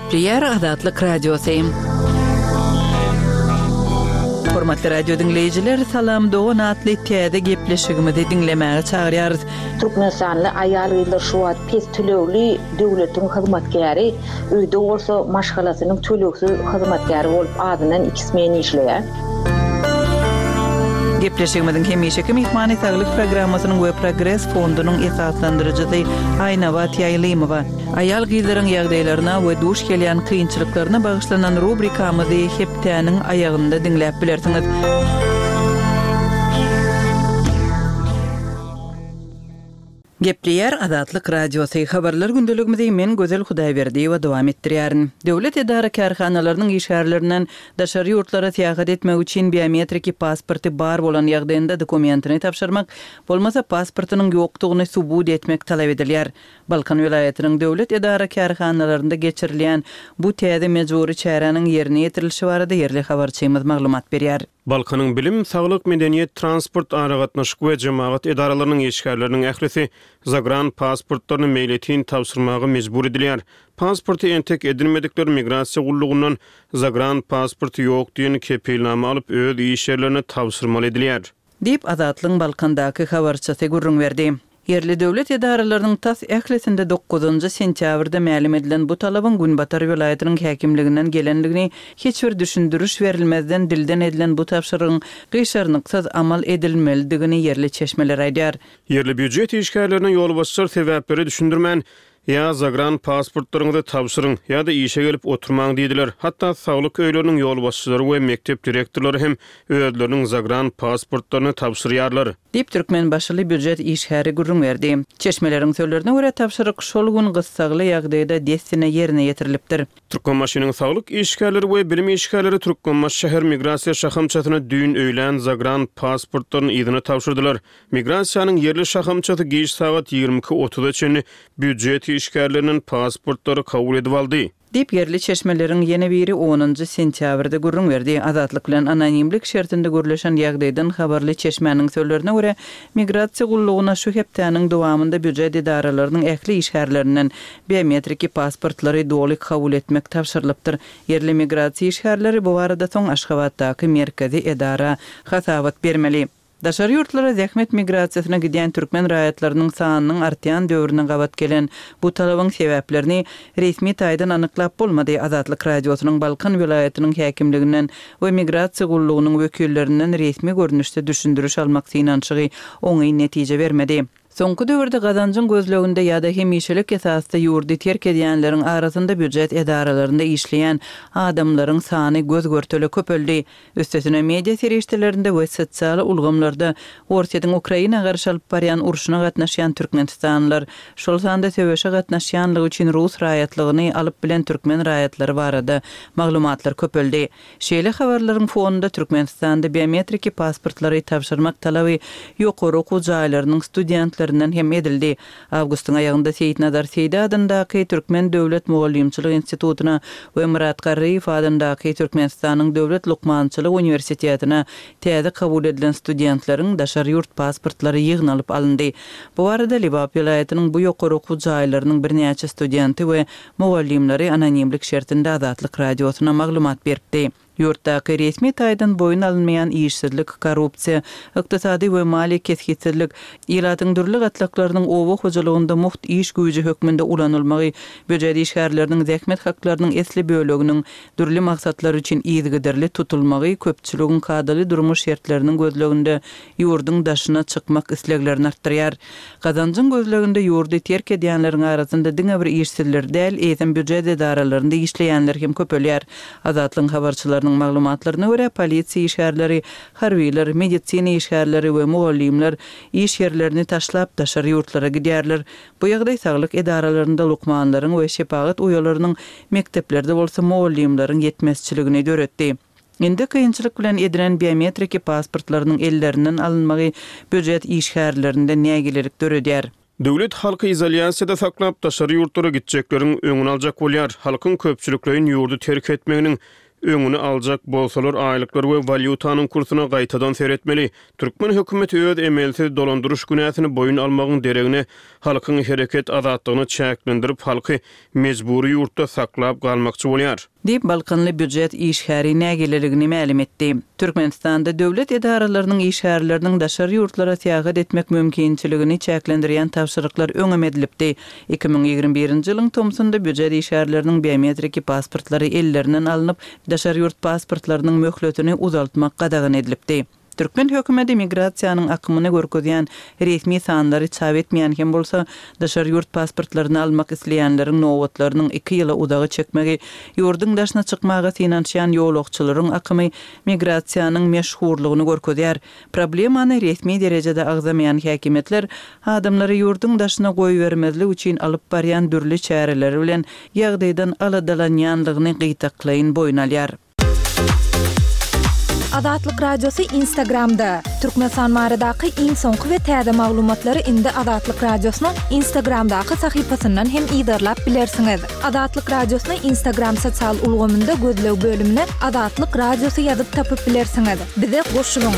Gepleýär Azatlyk Radiosy. Hormatly radio diňleýjiler, Salam dogan atly täze gepleşigimizi diňlemäge çagyrýarys. Türkmenistanly aýal-gyzlar şu wagt pes tölegli döwletiň hyzmatkäri, öýde bolsa maşgalasynyň tölegsiz hyzmatkäri bolup azyndan iki smen işleýär. Gepleşigimiziň hemişeki myhmany Saglyk programmasynyň we Progres fondunyň esaslandyryjysy Aýnabat Ýaýlymowa. Aýal-gyzlaryň ýagdaýlaryna we duş gelýän kynçylyklaryna bagyşlanan rubrikamyzy hepdäniň aýagynda diňläp bilersiňiz. Gepleýär Azatlyk Radiosy, Habarlar gündeligimizi men Gözel Hudaýberdiýewa dowam etdirýärin. Döwlet edara-kärhanalarynyň işgärlerinden daşary ýurtlara syýahat etmek üçin biometriki pasporty bar bolan ýagdaýynda dokumentini tabşyrmak, bolmasa pasportynyň ýokdugyny subut etmek talap edilýär. Balkan welaýatynyň döwlet edara-kärhanalarynda geçirilýän bu täze mejbury çäräniň ýerine ýetirilişi barada ýerli habarçymyz maglumat berýär. Balkanyň bilim, saglyk, medeniýet, transport, aragatnaşyk we jemagat edaralarynyň işgärleriniň ählisi zagran pasportlaryny meýletin tabşyrmaga mejbur edilýär. Pasporty entek edinmedikler migrasiýa gullugyndan zagran pasporty ýok diýen kepilnama alyp, öz iş ýerlerine tabşyrmaly edilýär. Diýip, Azatlygyň Balkandaky habarçysy gürrüň berdi. Ýerli döwlet edaralarynyň tas ählisinde dokuzynjy sentýabrda mälim edilen bu talabyň günbatar welaýatynyň häkimliginden gelendigini, hiç bir düşündiriş berilmezden dilden edilen bu tabşyrygyň gyşarnyksyz amal edilmelidigini ýerli çeşmeler aýdýar. Ýerli býujet işgärlerine ýolbaşçylar sebäpleri düşündirmän, Ýa zagran pasportlaryňyzy tabşyryň, ýa-da işe gelip oturmaň diýdiler. Hatda saglyk öýleriniň ýolbaşçylary we mekdep direktorlary hem özleriniň zagran pasportlaryny tabşyrýarlar. Diýip, türkmenbaşyly býujet işgäri gürrüň berdi. Çeşmeleriň sözlerine görä, tabşyryk şol gün gyssagly ýagdaýda dessine ýerine ýetirilipdir. Türkmenbaşynyň saglyk işgärleri we bilim işgärleri Türkmenbaşy şäher migrasiýa şahamçasyna düýn öýlän zagran pasportlaryny yzyna tabşyrdylar. Migrasiýanyň ýerli şahamçasy giç sagat 22 otuza çenli býujet işgärlerinden pasportlary kabul edip aldy. Diýip, ýerli çeşmeleriň ýene biri onunjy sentýabrda gürrüň berdi. Azatlyk bilen anonimlik şertinde gürleşen ýagdaýdan habarly çeşmäniň sözlerine görä, migrasiýa gullugyna şu hepdäniň dowamynda býujet edaralarynyň ähli işgärlerinden biometriki pasportlary doly kabul etmek tabşyrylypdyr. Ýerli migrasiýa işgärleri bu barada soň Aşgabatdaky merkezi edara hasabat bermeli. Daşary ýurtlara zähmet migrasiýasyna gidýän türkmen raýatlarynyň sanynyň artýan döwrüne gabat gelen bu talabyň sebäplerini resmi taýdan anyklap bolmady. Azatlyk Radiosynyň Balkan welaýatynyň häkimliginden we migrasiýa gullugynyň wekillerinden resmi görnüşde düşündiriş almak synanyşygy oňyn netije bermedi. Soňky döwürde gazanjyň gözleginde ýa-da hemişelik esasda ýurdy terk edýänleriň arasynda býujet edaralarynda işleýän adamlaryň sany göz-görtele köpeldi. Üstesine, media serişdelerinde we sosial ulgamlarda Orsýetiň Ukraina garşy alyp barýan urşuna gatnaşýan türkmenistanlylar, şol sanda söweşe gatnaşýanlygy üçin rus raýatlygyny alyp bilen türkmen raýatlary barada maglumatlar köpeldi. Şeýle habarlaryň fonunda Türkmenistanda biometriki pasportlary tabşyrmak talaby ýokary okuw jaýlarynyň studentlerinden hem edildi. Awgustyň aýagynda Seýitnazar Seýdi adyndaky Türkmen döwlet mugallymçylyk institutyna we Myrat Garryýew adyndaky Türkmenistanyň döwlet lukmançylyk uniwersitetine täze kabul edilen studentleriň daşary ýurt pasportlary ýygnalyp alyndy. Bu barada Lebap welaýatynyň bu ýokary okuw jaýlarynyň birnäçe studenti we Mugallymlary anonimlik şertinde Azatlyk Radiosyna maglumat beripdi. Ýurtdaky resmi taýdan boýun alynmaýan işsizlik, korrupsiýa, ykdysady we maliýe kesgitsizlik, ilatyň dürli gatlaklarynyň oba hojalygynda mugt iş güýji hökmünde ulanylmagy, býujet işgärleriniň zähmet haklarynyň esli böleginiň dürli maksatlar üçin yzygiderli tutulmagy köpçüligiň kadaly durmuş şertleriniň gözleginde ýurduň daşyna çykmak isleglerini artdyrýar. Gazanjyň gözleginde ýurdy terk edýänleriň arasynda diňe bir işsizler däl, eýsem býujet edaralarynda işleýänler hem köpelýär. Azatlygyň habarçylarynyň maglumatlaryna görä, polisiýa işgärleri, harbylar, medisina işgärleri we mugallymlar iş ýerlerini taşlap daşary ýurtlara gidýärler. Bu ýagdaý saglyk edaralarynda lukmanlaryň we şepagat uýalarynyň, mekdeplerde bolsa mugallymlaryň ýetmezçiligini döretdi. Indi kynçylyk bilen edinen biometriki pasportlarynyň ellerinden alynmagy býujet işgärlerinde nägilelik döredýär. Döwlet halky izolýasiýada saklap, daşary ýurtlara gitjekleriň öňüni aljak bolýar. Halkyň köpçülikleýin ýurdy terk etmeginiň. Öňüni aljak bolsalar aýlyklar we walýutanyň kursuna gaýtadan seretmeli. Türkmen hökümeti öz emelsiz dolandyryş günäsini boýun almagyň deregine halkyň hereket azatlygyny çäklendirip halky mejbury ýurtda saklap galmakçy bolýar. Diýip, balkanly býujet işgäri nägileligini mälim etdi. Türkmenistanda döwlet edaralarynyň işgärleriniň daşary ýurtlara syýahat etmek mümkinçiligini çäklendirýän tabşyryklar öňem edilipdi. 2021-nji ýylyň tomsunda býujet işgärleriniň biometriki pasportlary ellerinden alnyp, daşary ýurt pasportlarynyň möhletini uzaltmak gadagan edilipdi. Türkmen hökümeti migrasiýanyň akymyny görkezýän resmi sanlary çap etmeýän hem bolsa, daşary ýurt pasportlaryny almak isleýänleriň nobatlarynyň iki ýyla uzaga çekmegi, ýurduň daşyna çykmaga synanyşýan ýolagçylaryň akymy migrasiýanyň meşhurlygyny görkezýär. Problemany resmi derejede agzamaýan häkimiýetler adamlary ýurduň daşyna goýbermezlik üçin alyp barýan dürli çäreleri bilen ýagdaýdan aladalanýanlygyny gytaklaýyn boýun alýar. Azatlyk Radiosy Instagramda, Türkmenistan baradaky iň soňky we täze maglumatlary indi Azatlyk Radiosynyň Instagramdaky sahypasyndan hem yzarlap bilersiňiz. Azatlyk Radiosyny Instagram sosial ulgamynda gözleg bölümine Azatlyk Radiosy ýazyp tapyp bilersiňiz. Bize goşulyň!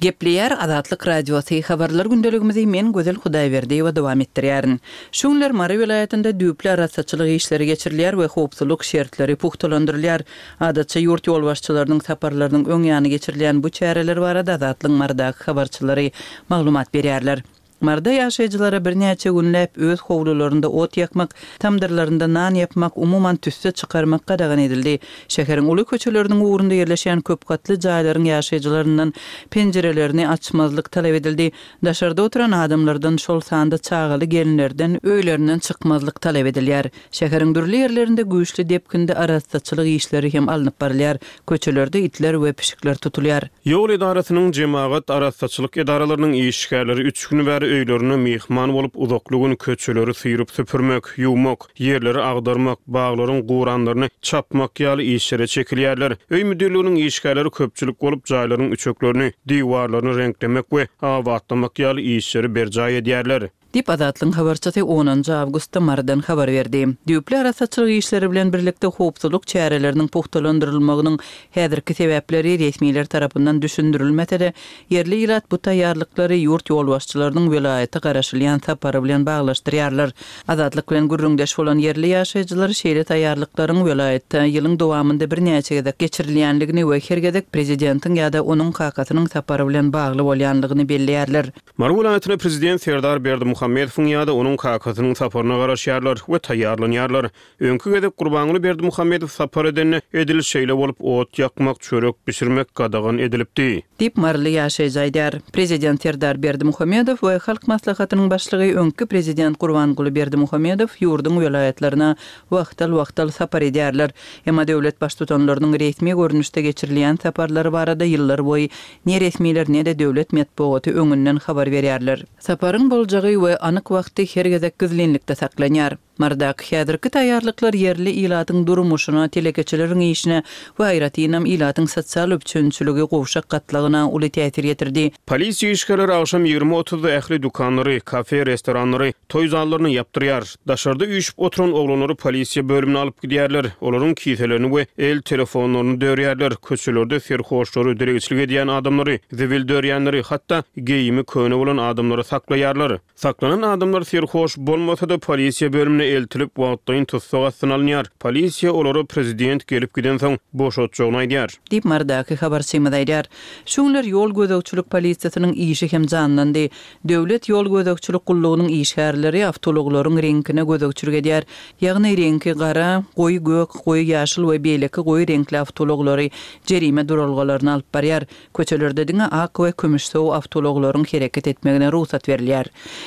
Gepleýär Azatlyk Radiosy, Habarlar gündeligimizi men Gözel Hudaýberdiýewa dowam etdirýärin. Şu günler Mary welaýatynda düýpli arassaçylyk işleri geçirilýär we howpsuzlyk şertleri pugtalandyrylýar. Adatça ýurt ýolbaşçylarynyň saparlarynyň öň ýany geçirilýän bu çäreler barada Azatlygyň Marydaky habarçylary maglumat berýärler. Maryda ýaşaýjylara birnäçe günläp öz howlularynda ot ýakmak, tamdyrlarynda nan ýapmak, umuman tüsse çykarmak gadagan edildi. Şäheriň uly köçeleriniň ugrunda ýerleşýän köpgatly jaýlaryň ýaşaýjylaryndan penjirelerini açmazlyk talap edildi. Daşarda oturan adamlardan, şol sanda çagaly gelinlerden öýlerinden çykmazlyk talap edilýär. Şäheriň dürli ýerlerinde güýçli depginde arassaçylyk işleri hem alnyp barylýar. Köçelerde itler we pişikler tutulýar. Ýol edarasynyň, jemagat arassaçylyk edaralarynyň işgärleri üç gün bäri öýlerinde myhman bolup, uzakly gün köçeleri syryp-süpürmek, ýuwmak, ýerleri agdarmak, baglaryň guranlaryny çapmak ýaly işlere çekilýärler. Öý müdirliginiň işgärleri köpçülik bolup, jaýlaryň üçeklerini, diwarlaryny reňklemek we abatlamak ýaly işleri berjaý edýärler. Diýip, Azatlygyň habarçysy onunjy awgustda Marydan habar berdi. Düýpli arassaçylyk işleri bilen birlikde howpsuzlyk çäreleriniň pugtalandyrylmagynyň häzirki sebäpleri resmiler tarapyndan düşündirilmese-de, ýerli ilat bu taýýarlyklary ýurt ýolbaşçylarynyň welaýata garaşylýan sapary bilen baglaşdyrýarlar. Azatlyk bilen gürrüňdeş bolan ýerli ýaşaýjylar şeýle taýýarlyklaryň welaýatda ýylyň dowamynda birnäçe gezek geçirilýänligini we her gezek prezidentiň ýa-da onuň kakasynyň sapary bilen bagly bolýanlygyny belleýärler. Mary welaýatyna prezident Serdar Berdimuhamedowyň ýa-da onuň kakasynyň saparyna garaşýarlar we taýýarlanýarlar. Öňki gezek Gurbanguly Berdimuhamedow sapar edende, edil şeýle bolup ot ýakmak, çörek bişirmek gadagan edilipdi. Diýip, maryly ýaşaýjy aýdýar. Prezident Serdar Berdimuhamedow we Halk Maslahatynyň başlygy, öňki prezident Gurbanguly Berdimuhamedow ýurduň welaýatlaryna wagtal-wagtal sapar edýärler. Emma döwlet baştutanlarynyň resmi görnüşde geçirilýän saparlary barada ýyllarboýy Ne resmiler, ne-de döwlet metbugaty öňünden habar berýärler. Saparyň boljagy we anyk wagty her gezek gizlinlikde saklanýar. Marydaky häzirki taýýarlyklar ýerli ilatyň durmuşyna, telekeçileriň işine we aýratynam ilatyň sosial üpjünçiligi gowşak gatlagyna uly täsir ýetirdi. Polisiýa işgärleri agşam 20 otuzda ähli dükanlary, kafe, restoranlary, toý zallaryny ýapdyrýar. Daşarda üýşüp oturan oglanlary polisiýa bölümine alyp gidýärler. Olaryň kiselerini we el telefonlaryny dörýärler. Köçelerde serhoşlary, dilegçilik edýän adamlary, zibil dörýänleri, hatda geýimi köne bolan adamlary saklaýarlar. Saklanan adamlar serhoş bolmasa-da, polisiýa bölümine eltilip, wagtlaýyn tussag astyna alynýar. Polisiýa olara prezident gelip gidensoň boşatjagyny aýdýar. Diýip, Marydaky habarçymyz aýdýar. Şu günler ýol gözegçilik polisiýasynyň işi hem janlandy. Döwlet ýol gözegçilik gullugynyň işgärleri awtoulaglaryň reňkine gözegçilik edýär. Ýagny reňki gara, goýy gök, goýy ýaşyl we beýleki goýy reňkli awtoulaglary jerime duralgalaryna alyp barýar. Köçelerde diňe ak we kümüşsow awtoulaglaryň hereket etmegine rugsat berilýär.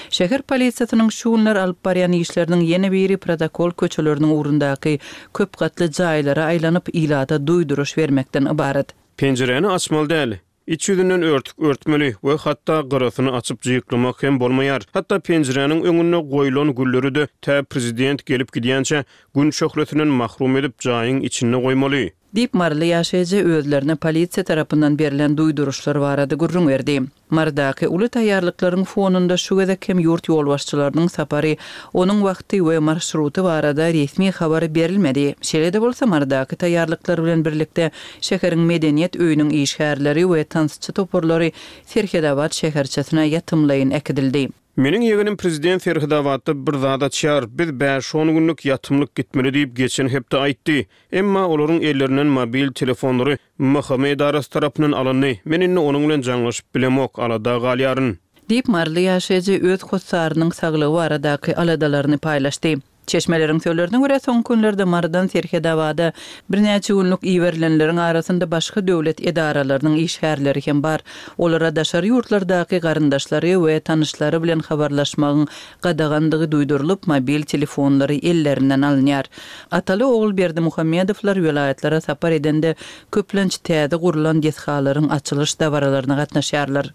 Şäher polisiýasynyň şu günler alyp barýan işleriniň ýene biri protokol köçeleriniň ugrundaky köp gatly jaýlara aýlanyp, ilata duýduryş bermekden ybarat. Penjiräni açmaly däl. Iç ýüzünden örtük örtmeli we hatda gyrasyny açyp jyklamak hem bolmaýar. Hatda penjiräniň öňünde goýlan gülleri-de tä prezident gelip gidýänçä Gün şöhlesinden mahrum edip jaýyň içinde goýmaly. Diýip, maryly ýaşaýjy özlerine polisiýa tarapyndan berlen duýduryşlar barada gürrüň berdi. Marydaky uly taýýarlyklaryň fonunda şu gezek hem ýurt ýolbaşçylarynyň sapary, onuň wagty we marşruty barada resmi habar berilmedi. Şeýle-de bolsa, Marydaky taýýarlyklar bilen birlikde şäheriň Medeniýet öýüniň işgärleri we tansçy toparlary Serhedabat şäherçesine ýatymlaýyn äkidildi. Meniň ýegenim prezident Serhedabatda bir zat açýar, biz bäş-on günlük ýatymlyk gitmeli diýip geçen hepde aýtdy. Emma olaryň ellerinden mobil telefonlary MHM edarasy tarapyndan alyndy. Men indi onuň bilen jaňlaşyp bilemok, alada galýaryn. Diýip, maryly ýaşaýjy öz hossarynyň saglygy baradaky aladalaryny paýlaşdy. Çeşmeleriň sözlerine görä, soňky günlerde Marydan Serhedabada birnäçe günlük iberilenleriň arasynda başga döwlet edaralarynyň işgärleri hem bar. Olara daşary ýurtlardaky garyndaşlary we tanyşlary bilen habarlaşmagyň gadagandygy duýdurylyp, mobil telefonlary ellerinden alynýar. Ataly-ogul Berdimuhamedowlar welaýatlara sapar edende, köplenç täze gurlan desgalaryň açylyş dabaralaryna gatnaşýarlar.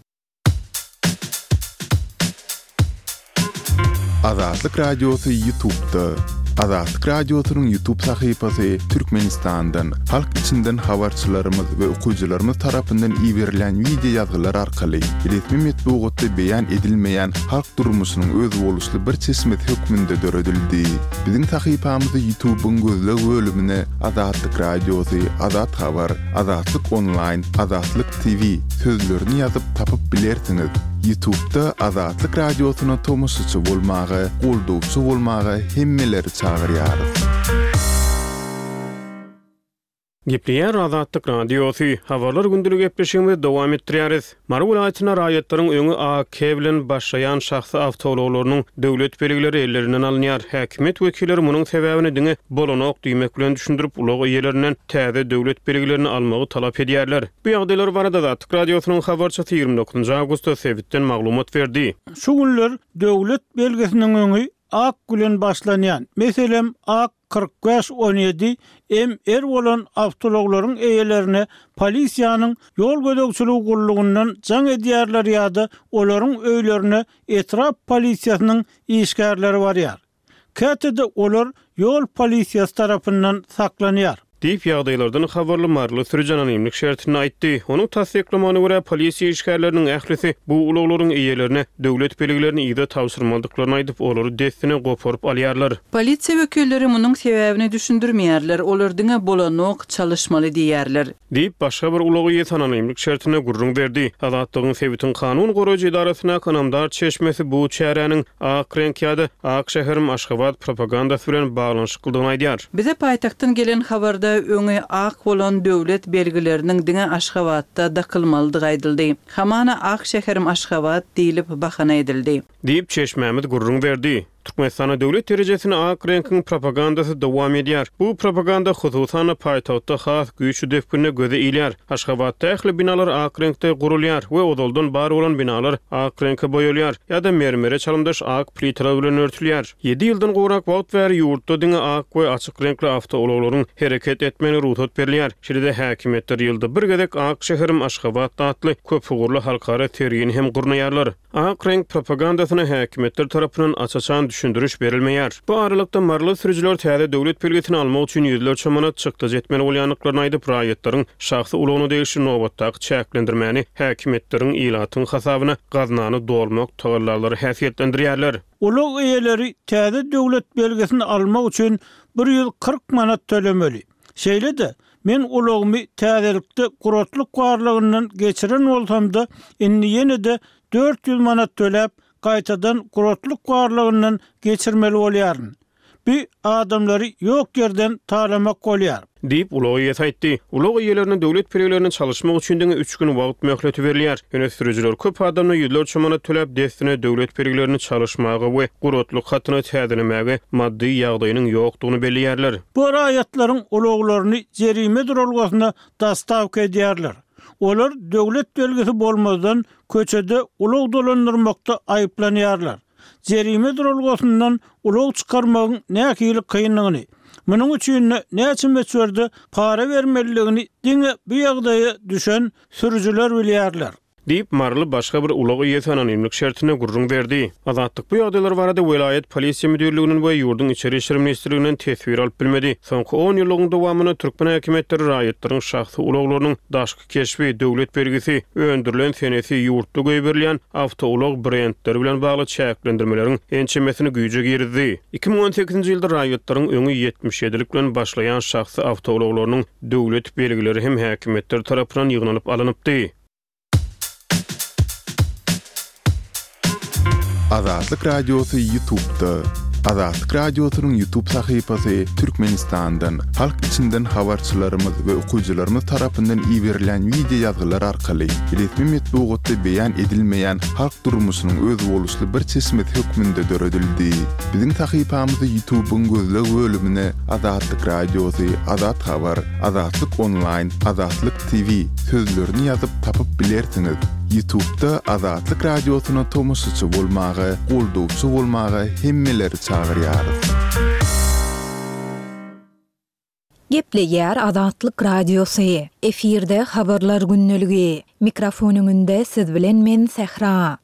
Azatlyk Radiosy Ýutubda. Azatlyk Radiosynyň Ýutub sahypasy Türkmenistandan, halk içinden habarçylarymyz we okyjylarymyz tarapyndan iberilýän wideo ýazgylar arkaly resmi metbugatda beýan edilmeýän halk durmuşynyň özboluşly bir çeşmesi hökmünde döredildi. Biziň sahypamyzy Ýutubyň gözleg bölümine Azatlyk Radiosy, Azat Habar, Azatlyk Onlaýn, Azatlyk TV sözlerini ýazyp tapyp bilersiňiz. Ýutubda Azatlyk Radiosyna tomaşaçy bolmaga, goldawçy bolmaga hemmeleri çagyrýarys. Gepleýär Azatlyk Radiosy. Habarlar gündelik gepleşigimizi dowam etdirýäris. Mary welaýatynda raýatlaryň öňi AK bilen başlaýan şahsy awtoulaglarynyň döwlet belgileri ellerinden alynýar. Häkimiýet wekilleri munuň sebäbini diňe bolanok diýmek bilen düşündirip, ulag eýelerinden täze döwlet belgilerini almagy talap edýärler. Bu ýagdaýlar barada Azatlyk Radiosynyň habarçysy 29 awgustda sebitden maglumat berdi. Şu günler döwlet belgisiniň öňi ak bilen başlanýan, meselem, ak 45 17 MR bolan awtoulaglaryň eýelerine polisiýanyň ýol gözegçiligi gullugyndan jaň edýärler ýa-da olaryň öýlerine etrap polisiýasynyň işgärleri barýar. Käte-de olar ýol polisiýasy tarapyndan saklanýar. Diýip, ýagdaýlardan habarly maryly sürüji anonimlik şertinde aýtdy. Onuň tassyklamagyna görä, polisiýa işgärleriniň ählisi bu ulaglaryň eýelerine döwlet belgilerini yza tabşyrmalydyklaryny aýdyp, olary dessine goparyp alýarlar. Polisiýa wekilleri munuň sebäbini düşündirmeýärler, olar diňe bolanok, çalyşmaly diýýärler. Diýip, başga bir ulag eýesi anonimlik şertinde gürrüň berdi. Azatlygyň sebitiň kanun goraýjy edarasyndaky ynamdar çeşmesi bu çäräniň ak reňk ýa-da Ak şäherim Aşgabat propagandasy bilen baglanyşyklydygyny aýdýar. Bize paýtagtdan gelen habarda öňi ak bolan döwlet belgileriniň diňe Aşgabatda dakylmalydygy aýdyldy. Hamana Ak şäherim Aşgabat diýlip bahana edildi. Diýip, çeşmämiz gürrüň berdi. Türkmenistanda döwlet derejesinde ak reňkiň propagandasy dowam edýär. Bu propaganda, hususan-da, paýtagtda has güýçli depginde göze ilýär. Aşgabatda ähli binalar ak reňkde gurulýar we ozaldan bar bolan binalar ak reňke boýalýar ýa-da mermere çalymdaş ak plitalar bilen örtülýär. Ýedi ýyldan gowrak wagt bäri ýurtda diňe ak we açyk reňkli awtoulaglaryň hereket etmegine rugsat berilýär. Şeýle-de häkimiýetler ýylda bir gezek Ak şäherim Aşgabat atly köpugurly halkara sergini hem gurnaýarlar. Ak reňk propagandasyna häkimiýetler tarapyndan aç-açan düşündiriş berilmeýär. Bu aralykda, maryly sürüjiler täze döwlet belgisini almak üçin ýüzlerçe manat çykdajy etmeli bolýandyklaryny aýdyp, raýatlaryň şahsy ulagyna degişli nobatdaky çäklendirmäni häkimiýetleriň ilatyň hasabyna gaznany dolmak tagallalary häsiýetlendirýärler. Ulag eýeleri täze döwlet belgisini almak üçin 140 manat tölemeli. Şeýle-de, men ulagymy täzelikde guratlyk barlagyndan geçiren bolsam-da, indi ýene-de 400 manat töläp, gaýtadan guratlyk barlagyndan geçirmeli bolýaryn. Bu adamlary ýok ýerden talamak bolýar. Diýip, ulag eýesi aýtdy. Ulag eýelerine döwlet belgilerini çalyşmak üçin diňe üç gün wagt möhleti berilýär. Ýöne sürüjiler köp adamda ýüzlerçe manat töläp, dessine döwlet belgilerini çalyşmaga we guratlyk hatyny täzelemäge maddy ýagdaýynyň ýokdugyny belleýärler. Bu raýatlaryň ulaglaryny jerime duralgasyna dostawka edýärler. Olar döwlet belgisi bolmazdan köçede ulag dolandyrmakda aýyplanýarlar. Jerime duralgasyndan ulag çykarmagyň nähili kyndygyny, munuň üçin-de näçe möçberde para bermelidigini diňe bu ýagdaýa düşen sürüjiler bilýärler. Diýip, maryly başga bir ulag eýesi anonimlik şertinde gürrüň berdi. Azatlyk bu ýagdaýlar barada welaýat polisiýa müdirliginden we ýurduň Içeri işler ministrliginden teswir alyp bilmedi. Soňky on ýyllygyň dowamynda türkmen häkimiýetleri raýatlaryň şahsy ulaglarynyň daşky keşbi, döwlet belgisi, öndürilen senesi, ýurtda goýberilýän awtoulag brendleri bilen bagly çäklendirmeleriň ençemesini güýje girizdi. 2018-nji ýylda raýatlaryň öňi 77-lik bilen başlaýan şahsy awtoulaglarynyň döwlet belgileri hem häkimiýetler tarapyndan ýygnalyp alnypdy. Azatlyk Radiosy Ýutubda. Azatlyk Radiosynyň Ýutub sahypasy Türkmenistandan, halk içinden habarçylarymyz we okyjylarymyz tarapyndan iberilýän wideo ýazgylar arkaly resmi metbugatda beýan edilmeýän halk durmuşynyň özboluşly bir çeşmesi hökmünde döredildi. Biziň sahypamyzy Ýutubyň gözleg bölümine Azatlyk Radiosy, Azat Habar, Azatlyk Onlaýn, Azatlyk TV sözlerini ýazyp tapyp bilersiňiz. Ýutubda Azatlyk Radiosyna tomaşaçy bolmaga, goldawçy bolmaga hemmeleri çagyrýarys. Gepleýär Azatlyk Radiosy. Efirde Habarlar gündeligi. Mikrofon öňünde siz bilen men Sähra.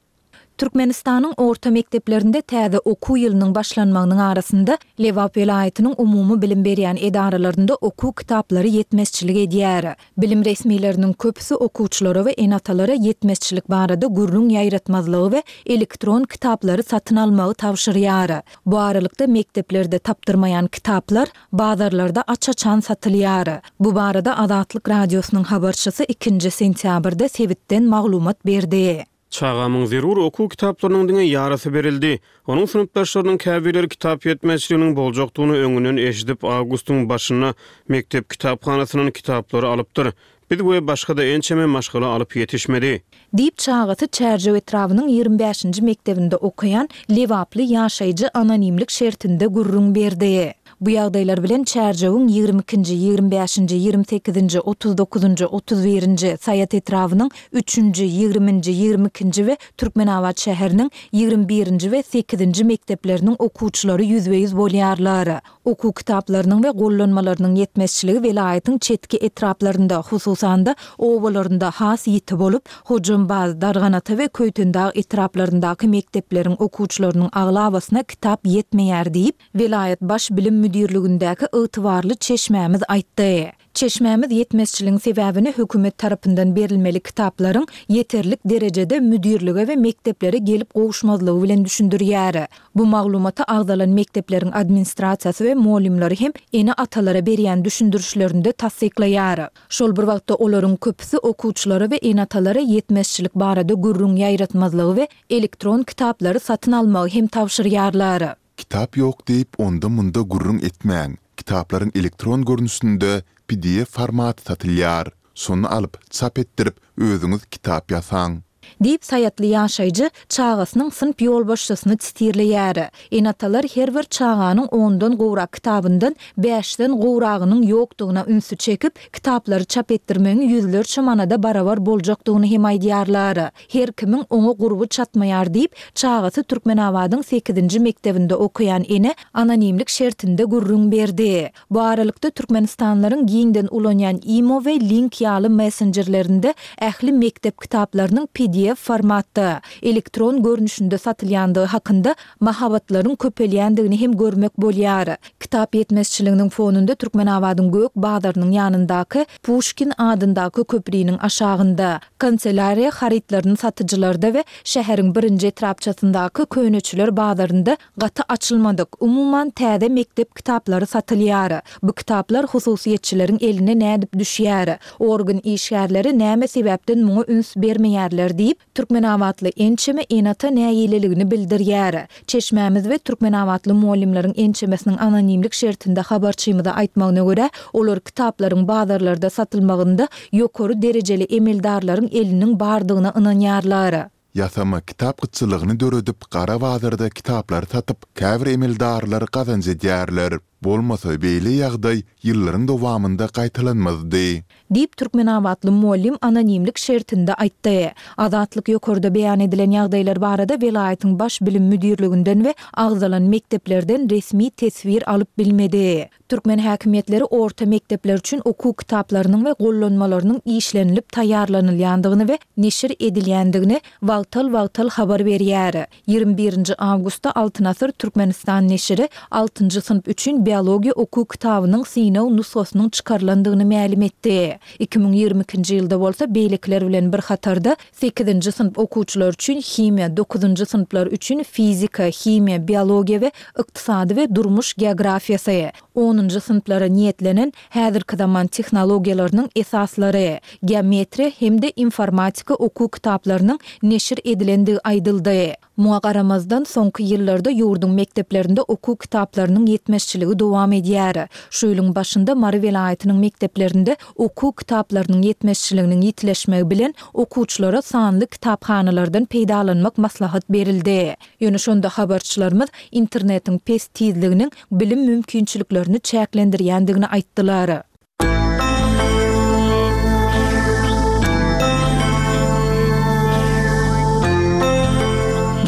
Türkmenistanyň orta mekdeplerinde täze okuw ýylynyň başlanmagynyň arasynda Lebap welaýatynyň umumy bilim berýän edaralarynda okuw kitaplary ýetmezçilik edýär. Bilim resmileriniň köpüsi okuwçylara we ene-atalara ýetmezçilik barada gürrüň ýaýratmazlygy we elektron kitaplary satyn almagy tabşyrýar. Bu aralykda mekdeplerde tapdyrmaýan kitaplar bazarlarda aç-açan satylýar. Bu barada Azatlyk Radiosynyň habarçysy ikinji sentýabrda sebitden maglumat berdi. Çagamyň zerur okuw kitaplarynyň diňe ýarysy berildi. Onuň synpdaşlarynyň käbirleri kitap ýetmezçiliginiň boljakdygyny öňünden eşidip, awgustyň başynda mekdep kitaphanasyndan kitaplary alypdyr. Biz we başga-da ençeme maşgala alyp ýetişmedi. Diýip, çagasy Çärjew etrabynyň 25-nji mekdebinde okaýan lebaply ýaşaýjy anonimlik şertinde gürrüň berdi. Bu ýagdaýlar bilen Çärjewiň 22-nji, 25-nji, 28-nji, 39-njy, 31-nji, Saýat etrabynyň üçünji, ýigriminji, 22-nji we Türkmenabat şäheriniň 21-nji we sekizinji mekdepleriniň okuwçylary ýüzbe-ýüz bolýarlar. Okuw kitaplarynyň we gollanmalarynyň ýetmezçiligi welaýatyň çetki etraplarynda, hususan-da, obalarynda has ýiti bolup, Hojambaz, Darganata we Köýtendag etraplaryndaky mekdepleriň okuwçylarynyň aglabasyna kitap ýetmeýär diýip, welaýat Baş bilim müdirligindäki ygtybarly çeşmämiz aýtdy. Çeşmämiz ýetmezçiligiň sebäbini hökümet tarapyndan berilmeli kitaplaryň ýeterlik derejede müdirlige we mekdeplere gelip gowuşmazlygy bilen düşündirýär. Bu maglumaty agzalan mekdepleriň administrasiýasy we mugallymlary hem ene-atalara berýän düşündirişlerinde tassyklaýar. Şol bir wagtda olaryň köpüsi okuwçylara we ene-atalara ýetmezçilik barada gürrüň ýaýratmazlygy we elektron kitaplary satyn almagy hem tabşyrýarlar. Kitap ýok diýip onda-munda gürrüň etmäň, kitaplaryň elektron görnüşinde pdf formaty satylýar. Şony alyp, çap etdirip, özüňiz kitap ýasaň. Diýip, saýatly ýaşaýjy çagasynyň synp ýolbaşçysyny sitirleýär. Ene-atalar her bir çaganyň ondan gowrak kitabyndan bäşden gowragynyň ýokdugyna ünsi çekip, kitaplary çap etdirmegiň ýüzlerçe manada barabar boljakdygyny hem aýdýarlar. Her kimiň oňa gurby çatmaýar diýip, çagasy Türkmenabadyň sekizinji mekdebinde okaýan ene anonimlik şertinde gürrüň berdi. Bu aralykda, türkmenistanlylaryň giňden ulanýan Imo we Link ýaly messenjerlerinde ähli mekdep kitaplarynyň pdf formatda, elektron görnüşinde satylýandygy hakynda mahabatlaryň köpelýändigini hem görmek bolýar. Kitap ýetmezçiliginiň fonunda Türkmenabadyň Gök bazarynyň ýanyndaky Puşkin adyndaky köpriniň aşagynda, Kanselýariýa harytlaryny satyjylarda we şäheriň birinji etrapçasyndaky köneçiler bazarynda gaty açylmadyk, umuman täze mekdep kitaplary satylýar. Bu kitaplar hususyýetçileriň eline nädip düşýär? Organ işgärleri näme sebäpden muňa üns bermeýärler diýip, Türkmenabatly ençeme ene-ata nägileligini bildirýär. Çeşmämiz we türkmenabatly mugallymlaryň ençemesiniň anonimlik şertinde habarçymyza aýtmagyna görä, olar kitaplaryň bazarlarda satylmagynda ýokary derejeli emeldarlaryň eliniň bardygyna ynanýarlar. Ýasama kitap gytçylygyny döredip, gara bazarda kitaplary satyp, käbir emeldarlar gazanç edýärler. Bolmasa beýle ýagdaý ýyllaryň dowamynda gaýtalanmazdy. Diýip, türkmenabatly mugallym anonimlik şertinde aýtdy. Azatlyk ýokarda beýan edilen ýagdaýlar barada welaýatyň Baş bilim müdirliginden we agzalan mekdeplerden resmi teswir alyp bilmedi. Türkmen häkimiýetleri orta mekdepler üçin okuw kitaplarynyň we gollanmalarynyň işlenilip taýýarlanylýandygyny we neşir edilýändigini wagtal-wagtal habar berýär. 21 nji awgustda Altyn asyr Türkmenistan neşiri altynjy synp üçin biologiýa okuw kitabynyň synag nusgasynyň çykarylandygyny mälim etdi. 2022-nji ýylda bolsa beýlekiler bilen bir hatarda sekizinji synp okuwçylary üçin himiýa, dokuzynjy synplar üçin fizika, himiýa, biologiýa we ykdysady we durmuş geografiýasy, onunjy synplara niýetlenen häzirki zaman tehnologiýalarynyň esaslary, geometriýa hem-de informatika okuw kitaplarynyň neşir edilendigi aýdyldy. Muňa garamazdan, soňky ýyllarda ýurduň mekdeplerinde okuw kitaplarynyň ýetmezçiligi dowam edýär. Şu ýylyň başynda Mary welaýatynyň mekdeplerinde okuw kitaplarynyň ýetmezçiliginiň ýitileşmegi bilen, okuwçylara sanly kitaphanalardan peýdalanmak maslahat berildi. Ýöne şonda habarçylarymyz internetiň pes tizliginiň bilim mümkinçiliklerini çäklendirýändigini aýtdylar.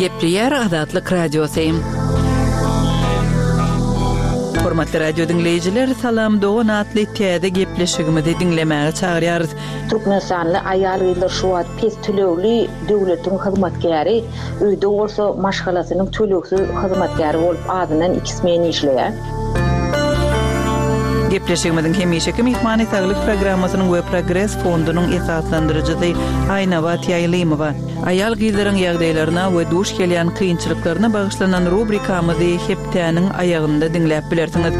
Gepleýär Azatlyk Radiosy. Hormatly radio diňleýjiler, Salam dogan atly täze gepleşigimizi diňlemäge çagyrýarys. Türkmenistanly aýal-gyzlar şu wagt pes tölegli döwletiň hyzmatkäri, öýde bolsa maşgalasynyň tölegsiz hyzmatkäri bolup azyndan iki smen işleýär. Gepleşigimiziň hemişeki myhmany Saglyk programmasynyň we Progres fondunyň esaslandyryjysy Aýnabat Ýaýlymowa. Aýal-gyzlaryň ýagdaýlaryna we duş gelýän kynçylyklaryna bagyşlanan rubrikamyzy hepdäniň aýagynda diňläp bilersiňiz.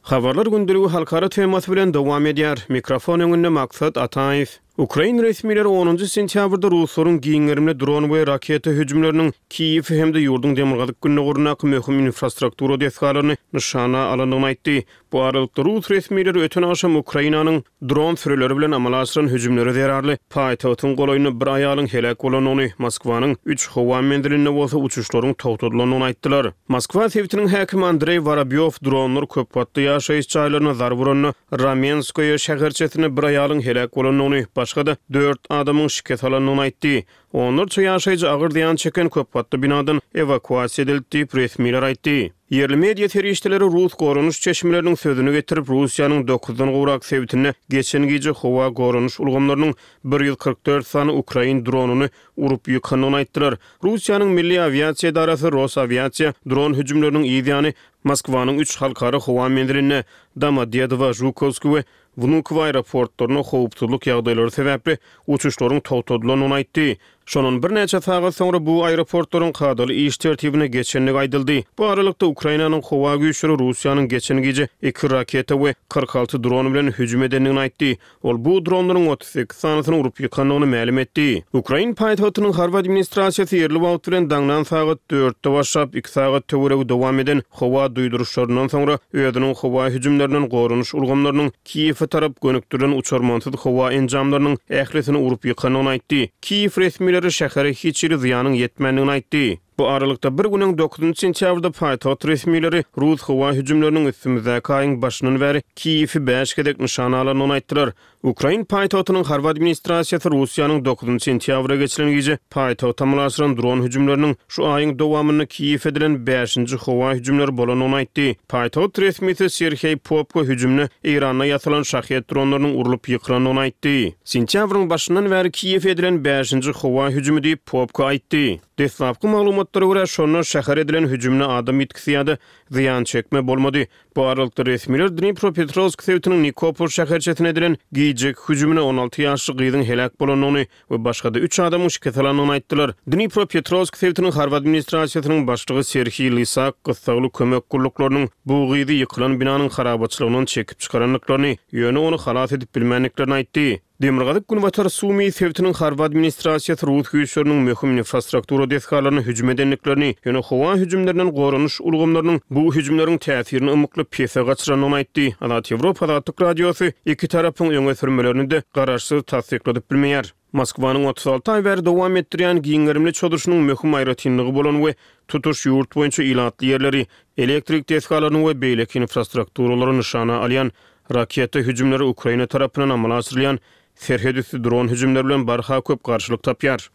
Habarlar gündeligi halkara temasy bilen dowam edýär. Mikrofon öňünde Maksat Ataýew. Ukrain resmileri onunjy sentýabrda ruslaryň giň gerimli dron we raketa hüjümleriniň Kiýewi hem-de ýurduň demirgazyk-gündogaryndaky möhüm infrastruktura desgalaryny nyşana alandygyny aýtdy. Bu aralykda, rus resmileri öten agşam Ukrainanyň dron sürüleri bilen amala aşyran hüjümleri zerarly paýtagtyň golaýynda bir aýalyň heläk bolandygyny, Moskwanyň üç howa menzilinde bolsa uçuşlaryň togtadylandygyny aýtdylar. Moskwa sebitiniň häkimi Andreý Worobýow dronlar köpgatly ýaşaýyş jaýlaryna zarba uranda Ramenskoýe şäherçesinde bir aýalyň heläk bolandygyny, başga-da dört adamyň şikes alandygyny aýtdy. Onlarça ýaşaýjy agyr zyýan çeken köpgatly binadan ewakuasiýa edildi diýip, resmiler aýtdy. Ýerli media serişdeleri rus goranyş çeşmeleriniň sözüni getirip, Russiýanyň dokuzdan gowrak sebitinde geçen gije howa goranyş ulgamlarynyň 144 sany ukrain dronyny urup ýykandygyny aýtdylar. Russiýanyň Milli awiasiýa edarasy Rosawiasiýa dron hüjümleriniň yz ýany Moskwanyň üç halkara howa menzilinde, Domodedowo, Žukowskiý we Wnukowo aeroportlarynda howpsuzlyk ýagdaýlary sebäpli uçuşlaryň togtadylandygyny aýtdy. Şondan birnäçe sagat soňra bu aeroportlaryň kadaly iş tertibine geçendigi aýdyldy. Bu aralykda, Ukrainanyň howa güýçleri Russiýanyň geçen gije iki raketa we 46 dron bilen hüjüm edendigini aýtdy. Ol bu dronlaryň 38 sanysyny urup ýykandygyny mälim etdi. Ukrain paýtagtynyň harby administrasiýasy ýerli wagt bilen daňdan sagat dörtde başlap, iki sagat töweregi dowam eden howa duýduryşlaryndan soňra özüniň howa hüjümlerinden goranyş ulgamlarynyň Kiýewe tarap gönükdirilen uçarmansyz howa enjamlarynyň ählisini urup ýykandygyny aýtdy. Kiýew resmileri şähere hiç hili zyýanyň ýetmändigini aýtdy. Bu aralykda, bir gün öň, dokuzynjy sentýabrda paýtagt resmileri rus howa hüjümleriniň üstümizdäki aýyň başyndan bäri Kiýewi bäş gezek nyşana alandygyny aýtdylar. Ukrain paýtagtynyň harby administrasiýasy Russiýanyň dokuzynjy sentýabra geçilen gije paýtagta amala aşyran dron hüjümleriniň şu aýyň dowamynda Kiýewe edilen bäşinji howa hüjümleri bolandygyny aýtdy. Paýtagt resmisi Serheý Popko hüjümde Eýranda ýasalan Şahed dronlarynyň urlup ýykylandygyny aýtdy. Sentýabryň başyndan bäri Kiýewe edilen bäşinji howa hüjümi diýip, Popko aýtdy. Deslapky maglumatlara görä, şonda şähere edilen hüjümde adam ýitgisi ýa-da zyýan çekme bolmady. Bu aralykda, resmiler Dnipropetrowsk sebitiniň Nikopol şäherçesine edilen gijeki hüjüminde 16 ýaşly gyzyň heläk bolandygyny we başga-da üç adamyň şikes alandygyny aýtdylar. Dnipropetrowsk sebitiniň harby administrasiýasynyň başlygy Serhiý Lysak gyssagly kömek gulluklarynyň bu gyzy ýykylan binanyň harabaçylygyndan çekip çykarandyklaryny, ýöne ony halas edip bilmändiklerini aýtdy. Demirgazyk-günbatar Sumy sebitiniň harby administrasiýasy rus güýçleriniň möhüm infrastruktura desgalaryna hüjüm edendiklerini, ýöne howa hüjümlerinden goranyş ulgamlarynyň bu hüjümleriň täsirini ymykly pese gaçyrandygyny aýtdy. Azat Ýewropa Azatlyk Radiosy iki tarapyň öňe sürmelerini-de garaşsyz tassykladyp bilmeýär. Moskwanyň 36 aý bäri dowam etdirýän giň gerimli çozuşynyň möhüm aýratynlygy bolan we tutuş ýurt boýunça ilatly ýerleri, elektrik desgalaryny we beýleki infrastrukturalary nyşana alýan Raketa hüjümleri Ukraina tarapyndan amala aşyrylýan serhetüsti dron hüjümleri bilen barha köp garşylyk tapýar.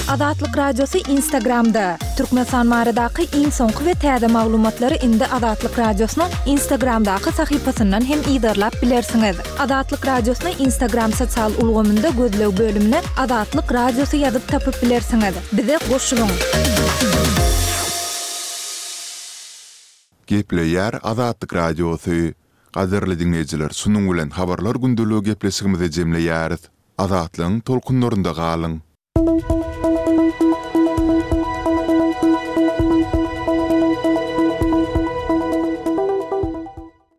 Azatlyk Radiosy Instagramda, Türkmenistan baradaky iň soňky we täze maglumatlary indi Azatlyk Radiosynyň Instagramdaky sahypasyndan hem yzarlap bilersiňiz. Azatlyk Radiosyny Instagram sosial ulgamynda gözleg bölümine Azatlyk Radiosy ýazyp tapyp bilersiňiz. Bize goşulyň! Gepleýär Azatlyk Radiosy. Gadyrly diňleýjiler şunuň bilen Habarlar gündeligi gepleşigimizi jemleýäris. Azatlygyň tolkunlarynda galyň!